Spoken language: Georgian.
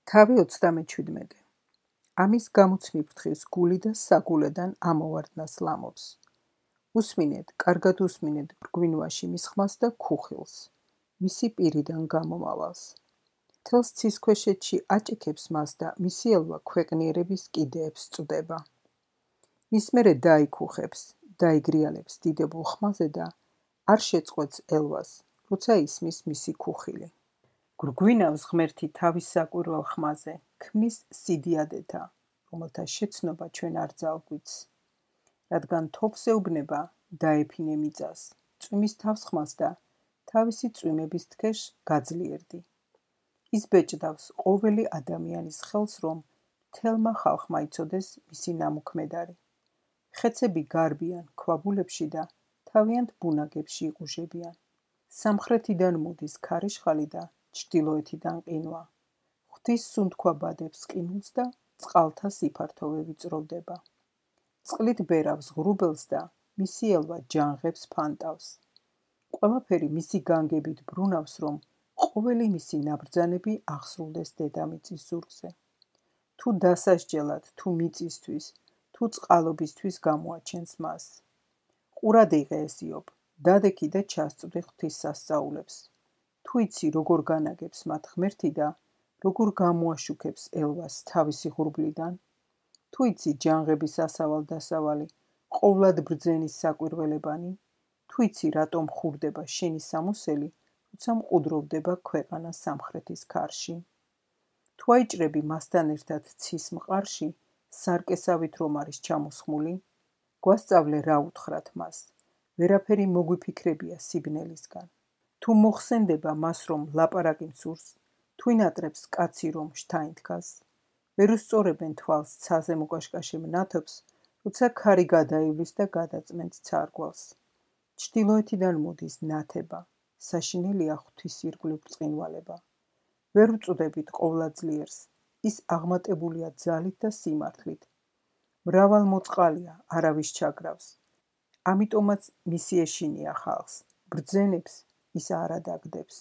თავი 37. ამის გამოც მიფრთხილს გული და საგულედან ამოვარდნას ლამობს. უსმინეთ, კარგად უსმინეთ ბრგვინვაში მის ხმას და ქუხილს, მისი პირიდან გამომავალს. თელს ცისქვეშეთში აჭიქებს მას და მისი ელვა ქვეყნიერების კიდეებს წვდება. მის მერე დაიქუხებს, დაიგრიალებს დიდებულ ხმაზე და არ შეწყვეტს ელვას, როცა ისმის მისი ქუხილი. გრგვინავს ღმერთი თავის საკვირველ ხმაზე, ქმნის სიდიადეთა, რომელთა შეცნობა ჩვენ არ ძალგვიც. რადგან თოფს ეუბნება, დაეფინე მიწას, წვიმის თავს ხმას და თავისი წვიმების თქეშ გაძლიერდი. ის ბეჭდავს ყოველი ადამიანის ხელს, რომ მთელმა ხალხმა იცოდეს მისი ნამოქმედარი. ხეცები გარბიან ქვაბულებში და თავიანთ ბუნაგებში იყუჟებიან. სამხრეთიდან მოდის ქარიშხალი და ჩრდილოეთიდან ყინვა. ღვთის სუნთქვა ბადებს ყინულს და წყალთა სიფართოვე ვიწროვდება. წყლით ბერავს ღრუბელს და მისი ელვა ჯანღებს ფანტავს. ყველაფერი მისი განგებით ბრუნავს, რომ ყოველი მისი ნაბრძანები აღსრულდეს დედამიწის ზურგზე. თუ დასასჯელად, თუ მიწისთვის, თუ წყალობისთვის გამოაჩენს მას. ყურად იღე ეს იობ, დადექი და ჩასწვდი ღვთის სასწაულებს. თუ იცი როგორ განაგებს მათ ღმერთი და როგორ გამოაშუქებს ელვას თავისი ღრუბლიდან, თუ იცი ჯანღების ასავალ დასავალი, ყოვლად ბრძენის საკვირველებანი, თუ იცი რატომ ხურდება შენი სამოსელი, როცა მყუდროვდება ქვეყანა სამხრეთის ქარში. თუ აიჭრები მასთან ერთად ცის მყარში, სარკესავით რომ არის ჩამოსხმული, გვასწავლე რა უთხრათ მას, ვერაფერი მოგვიფიქრებია სიბნელისგან. თუ მოხსენდება მას, რომ ლაპარაკი მსურს, თუ ინატრებს კაცი, რომ შთაინთქას, ვერ უსწორებენ თვალს ცაზე მოკაშკაშე მნათობს, როცა ქარი გადაივლის და გადაწმენთ ცარგვალს. ჩრდილოეთიდან მოდის ნათება, საშინელია ღვთის ირგვლივ ბრწყინვალება. ვერ უწოდებით ყოვლადძლიერს, ის აღმატებულია ძალით და სიმართლით. მრავალ მოწყალია, არავის ჩაგრავს. ამიტომაც მისი ეშინია ხალხს, ბრძენებს ის არ ადაგდებს.